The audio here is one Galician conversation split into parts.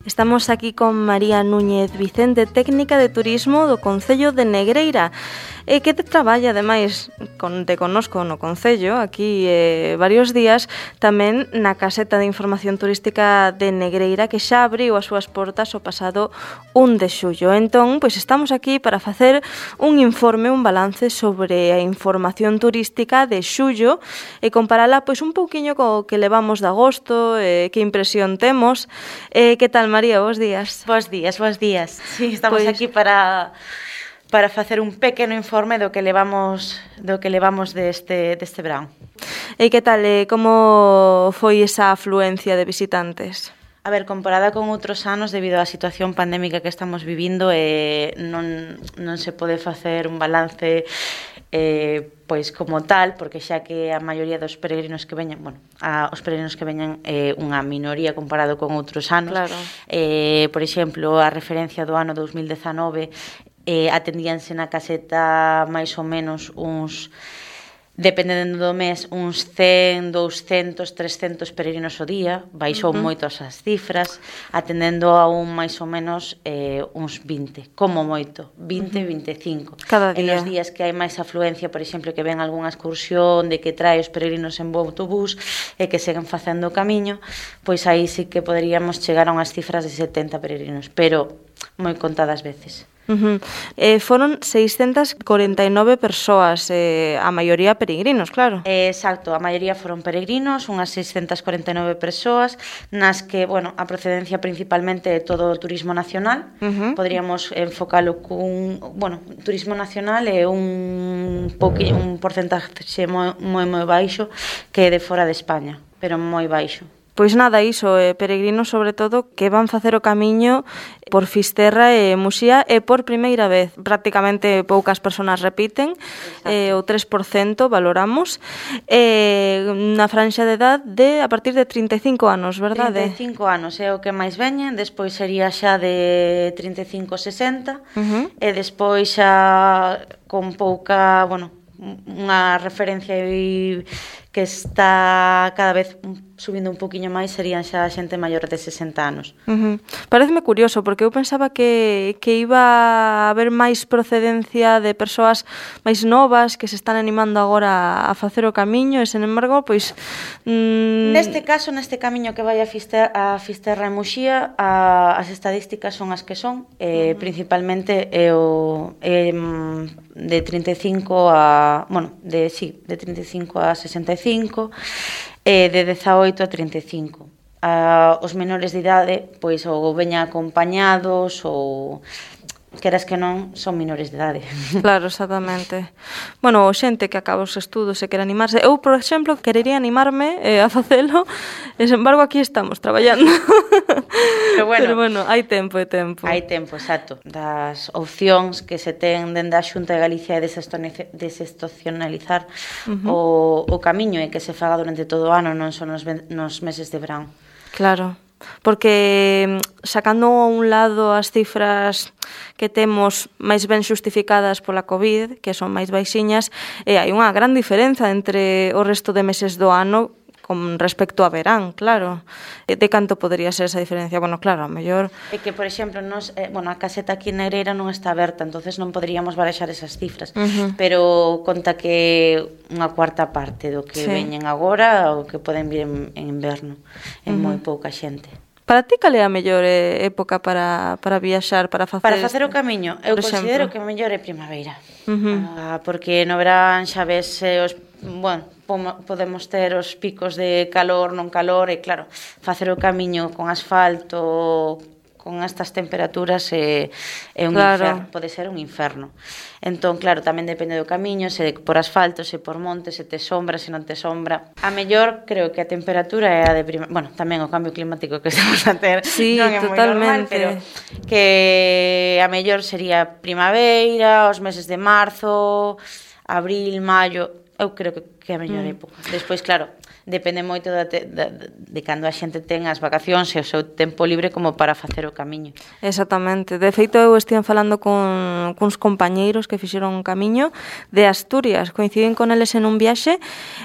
Estamos aquí con María Núñez Vicente, técnica de turismo do Concello de Negreira, que te traballa, ademais, te conozco no Concello, aquí varios días, tamén na caseta de información turística de Negreira, que xa abriu as súas portas o pasado 1 de xullo. Entón, pois estamos aquí para facer un informe, un balance sobre a información turística de xullo e comparala pois un pouquiño co que levamos de agosto, que impresión temos. Que tal, María? Bos días. Bos días. Sí, estamos aquí para facer un pequeno informe do que levamos deste verán. E que tal, como foi esa afluencia de visitantes? A ver, comparada con outros anos, debido á situación pandémica que estamos vivindo, non se pode facer un balance pois como tal, porque xa que a maioría dos peregrinos que veñan, os peregrinos que veñan é unha minoría comparado con outros anos. Claro. Por exemplo, a referencia do ano 2019 atendíanse na caseta máis ou menos uns, dependendo do mes, uns 100, 200, 300 peregrinos ao día. Baixou moito as cifras, atendendo a un máis ou menos uns 20, como moito, 20, 25. Cada día. En os días que hai máis afluencia, por exemplo, que ven algunha excursión de que trae os peregrinos en bo autobús e que seguen facendo o camiño, pois aí sí que poderíamos chegar a unhas cifras de 70 peregrinos, pero moi contadas veces. Foron 649 persoas, a maioría peregrinos, claro. Exacto, a maioría foron peregrinos, unhas 649 persoas, nas que, a procedencia principalmente é todo o turismo nacional. Podríamos enfocalo cun, turismo nacional é un porcentaxe moi baixo que é de fora de España, pero moi baixo. Pois nada, iso, peregrinos sobre todo que van facer o camiño por Fisterra e Muxía e por primeira vez. Prácticamente poucas persoas repiten, o 3% valoramos, na franxa de edad a partir de 35 anos, verdade? 35 anos é o que máis veñen, despois sería xa de 35 a 60, e despois xa con pouca, unha referencia que está cada vez subindo un poquinho máis, serían xa a xente maior de 60 anos. Pareceme curioso, porque eu pensaba que iba a haber máis procedencia de persoas máis novas que se están animando agora a facer o camiño, e, sen embargo, pois... Neste caso, neste camiño que vai a Fisterra e Muxía, as estadísticas son as que son, principalmente de 35 a... de 35 a 65, de 18 a 35. Os menores de idade, pois, ou veñan acompañados, ou queras que non, son menores de idade. Claro, exactamente. Xente que acaba os estudos e quere animarse. Eu, por exemplo, querería animarme a facelo, e, sen embargo, aquí estamos, traballando. Pero, hai tempo e tempo. Hai tempo, exacto. Das opcións que se ten dende a Xunta de Galicia de desestacionalizar o camiño e que se faga durante todo o ano, non son nos meses de verán. Claro. Porque sacando a un lado as cifras que temos máis ben xustificadas pola COVID, que son máis baixiñas, hai unha gran diferenza entre o resto de meses do ano con respecto a verán, claro. De canto podría ser esa diferencia? Claro, a mellor... É que, por exemplo, a caseta aquí en Negreira non está aberta, entonces non poderíamos barexar esas cifras, pero conta que unha cuarta parte do que veñen agora o que poden vir en inverno, é moi pouca xente. Para ti, cal é a mellor época para viaxar, para facer... Para facer o camiño, eu considero que o mellor é primavera, porque no verán xa ves podemos ter os picos de calor, non calor, e claro, facer o camiño con asfalto, con estas temperaturas é un inferno, pode ser un inferno. Entón, claro, tamén depende do camiño, se por asfalto, se por monte, se te sombra, se non te sombra. A mellor, creo que a temperatura é a de tamén o cambio climático que estamos a ter non é moi normal, pero que a mellor sería primavera, os meses de marzo, abril, maio. Eu creo que que é a mellor época. Despois, claro, depende moito de cando a xente ten as vacacións e o seu tempo libre como para facer o camiño. Exactamente. De feito, eu estive falando cuns compañeiros que fixeron un camiño de Asturias, coinciden con eles en un viaxe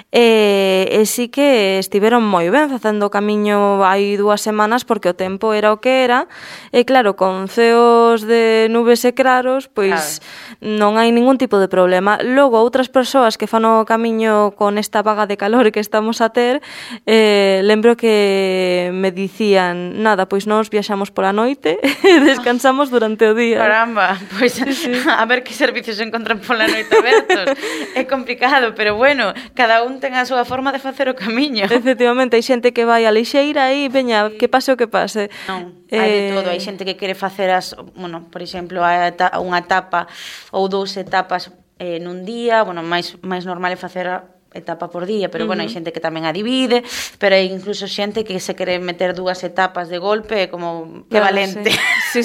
e sí que estiveron moi ben facendo o camiño hai 2 semanas porque o tempo era o que era e claro, con ceos de nubes e claros, pois non hai ningún tipo de problema. Logo, outras persoas que fan o camiño con esta vaga de calor que estamos a ter, lembro que me dicían, nada, pois nós viaxamos pola noite e descansamos durante o día. Caramba, pois a ver que servicios se encontran pola noite abertos. É complicado, pero bueno, cada un ten a súa forma de facer o camiño. Efectivamente, hai xente que vai a lixeira e veña, que pase o que pase. Non, hai de todo, hai xente que quere facer bueno, por exemplo, unha etapa ou 2 etapas nun día, bueno, máis normal é facer etapa por día, pero bueno, hai xente que tamén a divide, pero hai incluso xente que se quere meter 2 etapas de golpe, como que claro, valente. Sí,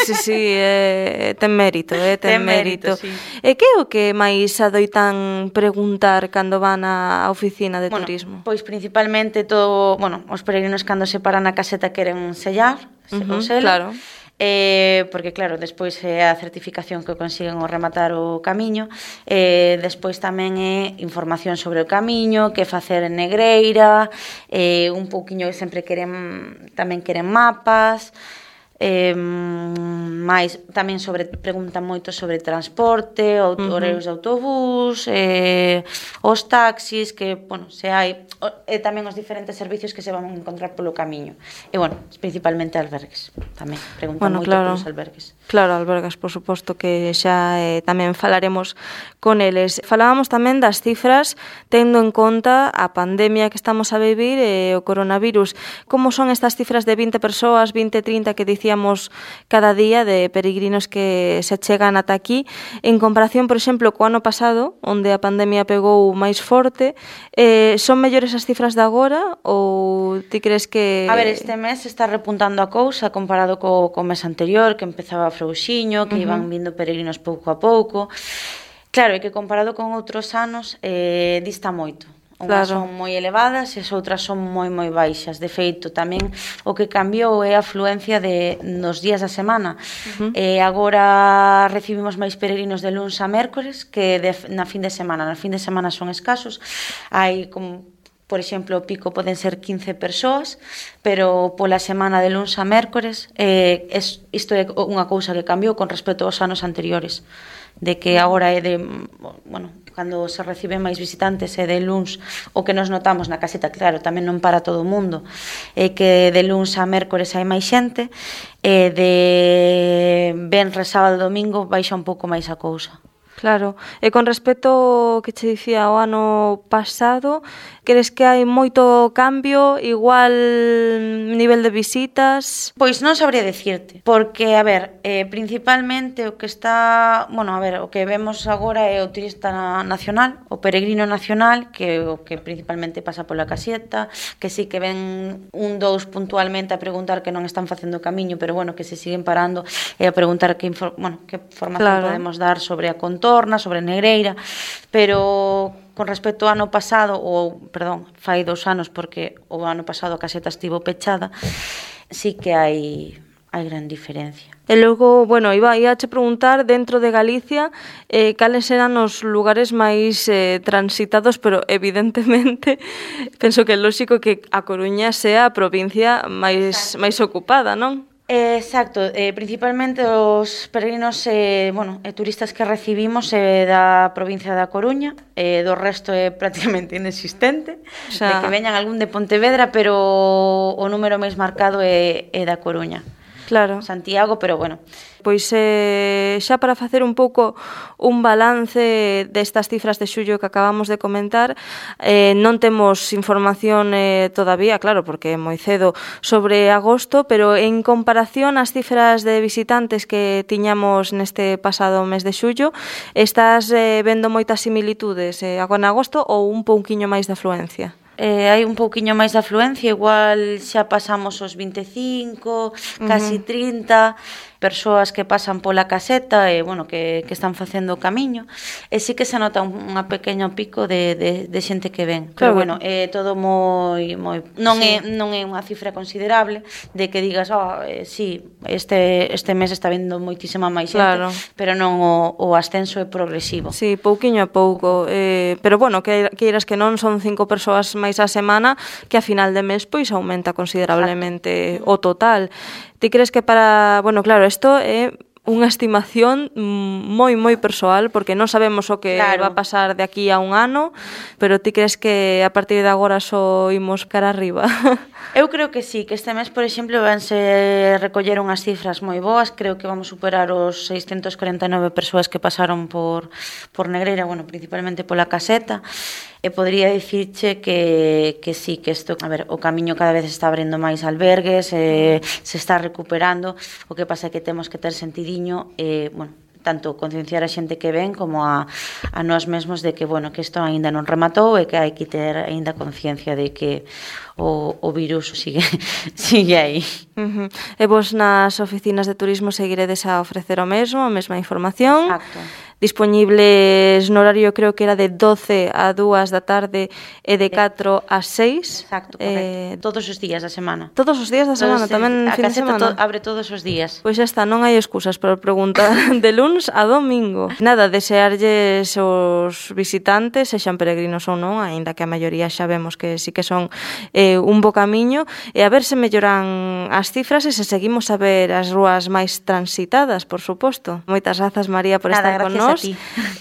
ten mérito, ten mérito. Sí. E que é o que máis adoitan preguntar cando van á oficina de turismo? Pois principalmente os peregrinos cando se paran na caseta queren sellar, o selo. Claro. Porque claro, despois é a certificación que consiguen ao rematar o camiño, despois tamén é información sobre o camiño, que facer en Negreira, un pouquiño sempre tamén queren mapas, máis tamén preguntan moito sobre transporte, horarios de autobús, os taxis, que, bueno, se hai, e tamén os diferentes servicios que se van a encontrar polo camiño. E, bueno, principalmente albergues, tamén preguntan moito polos albergues. Claro, albergues, por suposto que xa tamén falaremos con eles. Falábamos tamén das cifras, tendo en conta a pandemia que estamos a vivir e o coronavirus. Como son estas cifras de 20 persoas, 20, 30 que dicíamos cada día de peregrinos que se chegan ata aquí, en comparación, por exemplo, co ano pasado, onde a pandemia pegou máis forte, son mellores as cifras de agora ou ti crees que... A ver, este mes está repuntando a cousa comparado co mes anterior, que empezaba frouxiño, que iban vindo peregrinos pouco a pouco. Claro, é que comparado con outros anos dista moito. Unhas son moi elevadas e as outras son moi baixas. De feito, tamén o que cambiou é a afluencia nos días da semana. Agora recibimos máis peregrinos de luns a mércores que na fin de semana. Na fin de semana son escasos. Hai como... Por exemplo, o pico poden ser 15 persoas, pero pola semana de luns a mércores isto é unha cousa que cambiou con respecto aos anos anteriores, de que agora é de, bueno, cando se reciben máis visitantes é de luns, o que nos notamos na caseta, claro, tamén non para todo o mundo, é que de luns a mércores hai máis xente, e de venres, sábado e domingo baixa un pouco máis a cousa. Claro, e con respecto ao que che dicía o ano pasado, crees que hai moito cambio, igual nivel de visitas? Pois non sabría dicirte, porque, a ver, principalmente o que está, bueno, a ver, o que vemos agora é o turista nacional, o peregrino nacional, que o que principalmente pasa pola caseta, que sí que ven 1, 2 puntualmente a preguntar que non están facendo o camiño, pero bueno, que se siguen parando e a preguntar que formación podemos dar sobre a contorna, sobre Negreira, pero con respecto ao ano pasado, fai 2 anos, porque o ano pasado a caseta estivo pechada, sí que hai gran diferencia. E logo, bueno, ia che preguntar, dentro de Galicia, cales eran os lugares máis transitados, pero evidentemente penso que é lógico que a Coruña sea a provincia máis ocupada, non? Exacto, principalmente os peregrinos e turistas que recibimos da provincia da Coruña, do resto é prácticamente inexistente, de que veñan algún de Pontevedra, pero o número máis marcado é da Coruña. Claro. Santiago, pero bueno. Pois xa para facer un pouco un balance destas cifras de xullo que acabamos de comentar, non temos información todavía, claro, porque é moi cedo, sobre agosto, pero en comparación ás cifras de visitantes que tiñamos neste pasado mes de xullo, estás vendo moitas similitudes agora en agosto ou un pouquiño máis de afluencia? hai un pouquiño máis de afluencia, igual xa pasamos os 25, casi 30 persoas que pasan pola caseta e, bueno, que están facendo o camiño, e sí que se nota unha pequeno pico de xente que ven. Pero, bueno, é todo moi non é unha cifra considerable de que digas, sí, este mes está vendo moitísima máis xente, pero non o ascenso é progresivo. Sí, pouquiño a pouco, pero, bueno, que iras que non son 5 persoas máis a semana, que a final de mes pois aumenta considerablemente o total. Ti crees que para... Bueno, claro, isto é unha estimación moi persoal, porque non sabemos o que va a pasar de aquí a un ano, pero ti crees que a partir de agora só imos cara arriba? Eu creo que sí, que este mes, por exemplo, vanse recoller unhas cifras moi boas. Creo que vamos superar os 649 persoas que pasaron por Negreira, bueno, principalmente pola caseta. E podría dicirche que sí, que isto, a ver, o camiño cada vez está abrindo máis albergues, se está recuperando. O que pasa é que temos que ter sentidiño, bueno, tanto concienciar a xente que ven como a nós mesmos de que, bueno, que isto aínda non rematou e que hai que ter aínda conciencia de que o virus sigue aí. E vos nas oficinas de turismo seguiredes a ofrecer o mesmo, a mesma información? Exacto. Disponibles no horario, creo que era de 12 a 2 da tarde e de 4 a 6. Exacto, correcto. Todos os días da semana. Todos os días da semana, tamén fin de semana? Abre todos os días. Pois xa está, non hai excusas para preguntar de luns a domingo. Nada, desearlles os visitantes, sexan peregrinos ou non, aínda que a maioría xa vemos que sí que son un bo camiño, e a ver se melloran as cifras e se seguimos a ver as rúas máis transitadas, por suposto. Moitas grazas, María, por estar con nós.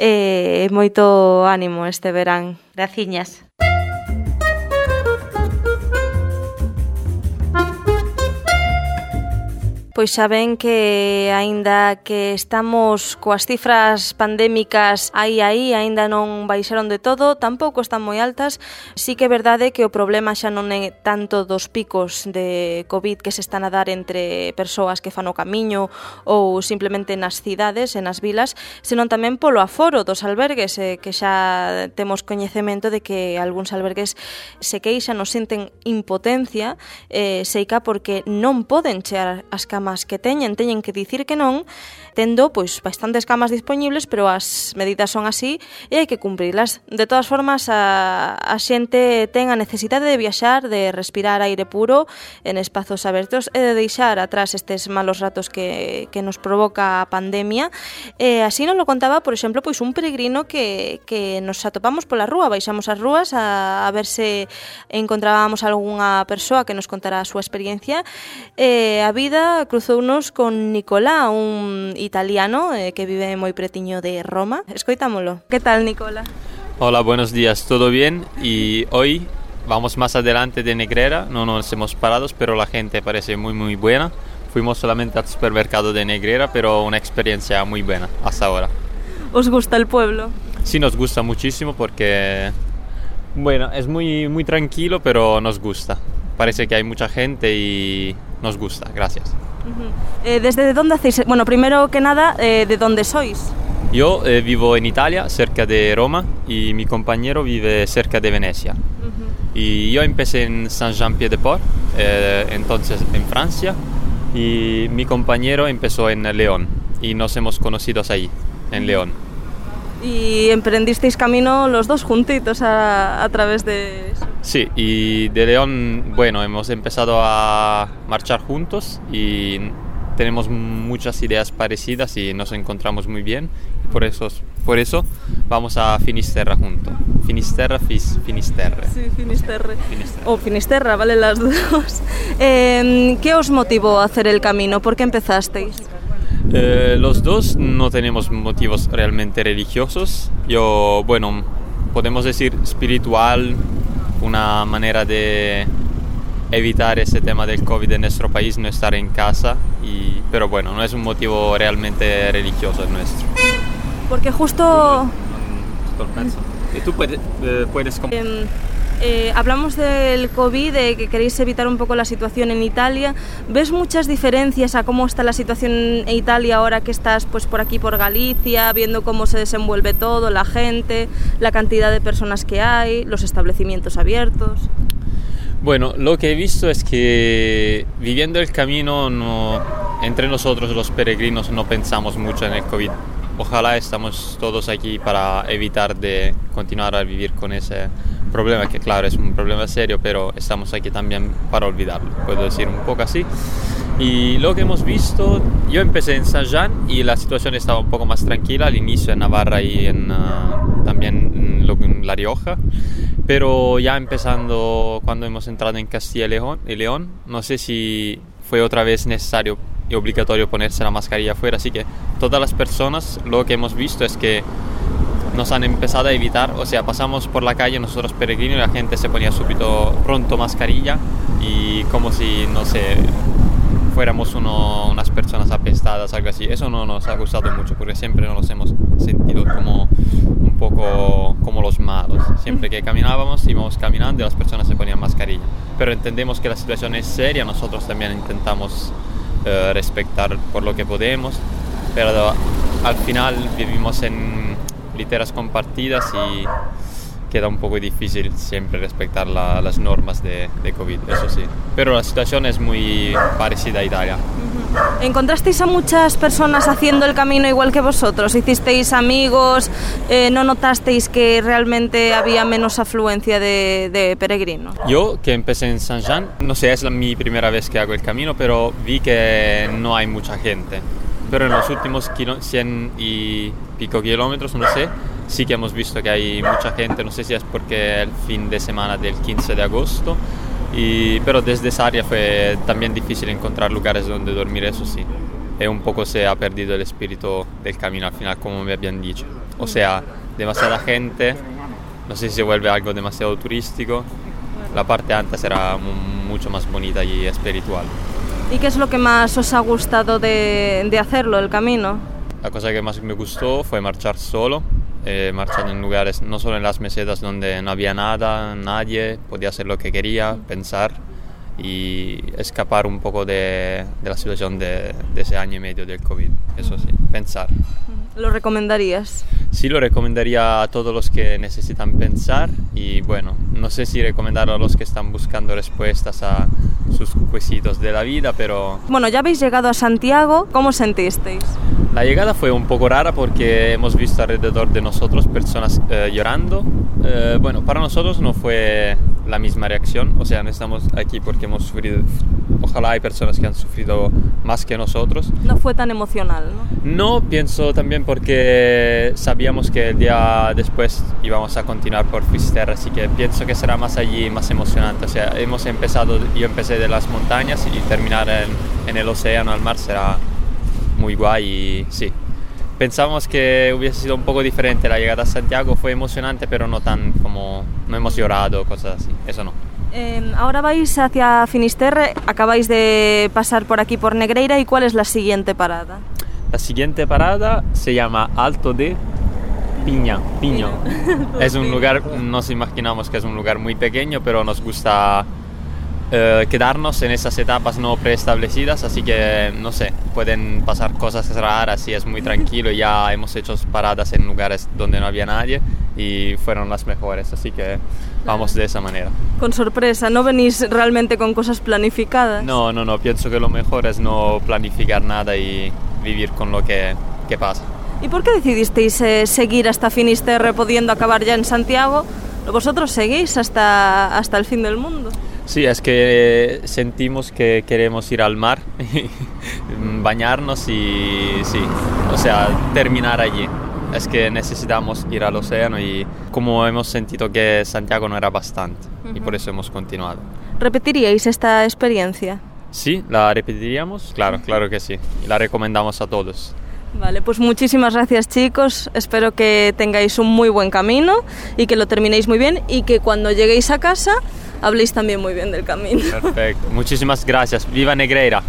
E moito ánimo este verán. Graciñas. Pois xa ven que aínda que estamos coas cifras pandémicas aí, aínda non baixaron de todo, tampouco están moi altas. Sí que é verdade que o problema xa non é tanto dos picos de COVID que se están a dar entre persoas que fan o camiño ou simplemente nas cidades e nas vilas, senón tamén polo aforo dos albergues, que xa temos coñecemento de que algúns albergues se queixan ou sinten impotencia, seica porque non poden chear as camas que teñen que dicir que non, tendo pois bastantes camas disponibles, pero as medidas son así e hai que cumprilas. De todas formas, a xente ten a necesidade de viaxar, de respirar aire puro en espazos abertos e de deixar atrás estes malos ratos que nos provoca a pandemia. E así nos lo contaba, por exemplo, pois un peregrino que nos atopamos pola rúa, baixamos as rúas a ver se encontrábamos algunha persoa que nos contara a súa experiencia. A vida cruzounos con Nicolá, un italiano que vive moi pretiño de Roma. Escoitámolo. Que tal, Nicola? Hola, buenos días, ¿todo bien? Y hoy vamos más adelante de Negreira, no nos hemos parado, pero la gente parece muy buena. Fuimos solamente al supermercado de Negreira, pero una experiencia muy buena hasta ahora. ¿Os gusta el pueblo? Sí, nos gusta muchísimo porque, bueno, es muy tranquilo, pero nos gusta. Parece que hay mucha gente y nos gusta, gracias. ¿Desde dónde hacéis? Bueno, primero que nada, ¿de dónde sois? Yo vivo en Italia, cerca de Roma, y mi compañero vive cerca de Venecia. Y yo empecé en Saint-Jean-Pied-de-Port, entonces en Francia, y mi compañero empezó en León, y nos hemos conocido ahí, en León. ¿Y emprendisteis camino los dos juntitos a través de eso? Sí, y de León, bueno, hemos empezado a marchar juntos y tenemos muchas ideas parecidas y nos encontramos muy bien. Por eso vamos a Finisterre juntos. Finisterre. Sí, Finisterre. O Finisterra, vale las dos. ¿Qué os motivó a hacer el camino? ¿Por qué empezasteis? Los dos no tenemos motivos realmente religiosos. Yo, bueno, podemos decir espiritual, una manera de evitar ese tema del COVID en nuestro país, no estar en casa, pero bueno, no es un motivo realmente religioso nuestro. Porque justo... Y tú puedes Hablamos del COVID, de que queréis evitar un poco la situación en Italia. ¿Ves muchas diferencias a cómo está la situación en Italia ahora que estás pues por aquí, por Galicia, viendo cómo se desenvuelve todo, la gente, la cantidad de personas que hay, los establecimientos abiertos? Bueno, lo que he visto es que viviendo el camino, entre nosotros los peregrinos no pensamos mucho en el COVID. Ojalá estamos todos aquí para evitar de continuar a vivir con ese problema, que claro es un problema serio, pero estamos aquí también para olvidarlo, puedo decir un poco así. Y lo que hemos visto, yo empecé en Saint-Jean y la situación estaba un poco más tranquila al inicio en Navarra y también en La Rioja, pero ya empezando cuando hemos entrado en Castilla y León, no sé si fue otra vez necesario y obligatorio ponerse la mascarilla afuera, así que todas las personas lo que hemos visto es que nos han empezado a evitar, o sea, pasamos por la calle nosotros peregrinos y la gente se ponía súbito pronto mascarilla y como si, no sé, fuéramos unas personas apestadas, algo así. Eso no nos ha gustado mucho porque siempre nos hemos sentido como un poco como los malos. Siempre que caminábamos, íbamos caminando y las personas se ponían mascarilla. Pero entendemos que la situación es seria, nosotros también intentamos respetar por lo que podemos, pero al final vivimos en literas compartidas y queda un poco difícil siempre respetar las normas de COVID, eso sí. Pero la situación es muy parecida a Italia. ¿Encontrasteis a muchas personas haciendo el camino igual que vosotros? ¿Hicisteis amigos? ¿No notasteis que realmente había menos afluencia de peregrinos? Yo, que empecé en Saint-Jean, no sé, es mi primera vez que hago el camino, pero vi que no hay mucha gente. Pero en los últimos 100 y pico kilómetros, no sé, sí que hemos visto que hay mucha gente, no sé si es porque el fin de semana del 15 de agosto, pero desde esa área fue también difícil encontrar lugares donde dormir, eso sí. Y un poco se ha perdido el espíritu del camino al final, como me habían dicho. O sea, demasiada gente, no sé si se vuelve algo demasiado turístico. La parte antes era mucho más bonita y espiritual. ¿Y qué es lo que más os ha gustado de hacerlo, el camino? La cosa que más me gustó fue marchar solo, marchando en lugares, no solo en las mesetas donde no había nada, nadie, podía hacer lo que quería, pensar y escapar un poco de la situación de ese año y medio del COVID, eso sí, pensar. ¿Lo recomendarías? Sí, lo recomendaría a todos los que necesitan pensar y bueno, no sé si recomendarlo a los que están buscando respuestas a sus quesitos de la vida, pero... Bueno, ya habéis llegado a Santiago, ¿cómo sentisteis? La llegada fue un poco rara porque hemos visto alrededor de nosotros personas llorando. Bueno, para nosotros no fue la misma reacción, o sea, no estamos aquí porque hemos sufrido, ojalá hay personas que han sufrido más que nosotros. No fue tan emocional, ¿no? No, pienso también porque sabíamos que el día después íbamos a continuar por Fisterra, así que pienso que será más allí, más emocionante. O sea, yo empecé de las montañas y terminar en el océano, al mar, será muy guay y sí. Pensábamos que hubiese sido un poco diferente la llegada a Santiago, fue emocionante, pero no tan como, no hemos llorado, cosas así, eso no. Ahora vais hacia Finisterre, acabáis de pasar por aquí por Negreira, ¿y cuál es la siguiente parada? La siguiente parada se llama Alto de Piño. Es un lugar, nos imaginamos que es un lugar muy pequeño, pero nos gusta quedarnos en esas etapas no preestablecidas, así que no sé, pueden pasar cosas raras y es muy tranquilo. Ya hemos hecho paradas en lugares donde no había nadie y fueron las mejores, así que vamos de esa manera. Con sorpresa, ¿no venís realmente con cosas planificadas? No, pienso que lo mejor es no planificar nada y vivir con lo que pasa. ¿Y por qué decidisteis seguir hasta Finisterre pudiendo acabar ya en Santiago? ¿Vosotros seguís hasta el fin del mundo? Sí, es que sentimos que queremos ir al mar, bañarnos y sí, o sea, terminar allí. Es que necesitamos ir al océano y como hemos sentido que Santiago no era bastante y por eso hemos continuado. ¿Repetiríais esta experiencia? Sí, la repetiríamos, claro que sí, y la recomendamos a todos. Vale, pues muchísimas gracias, chicos, espero que tengáis un muy buen camino y que lo terminéis muy bien y que cuando lleguéis a casa habléis también muy bien del camino. Perfecto, muchísimas gracias, viva Negreira.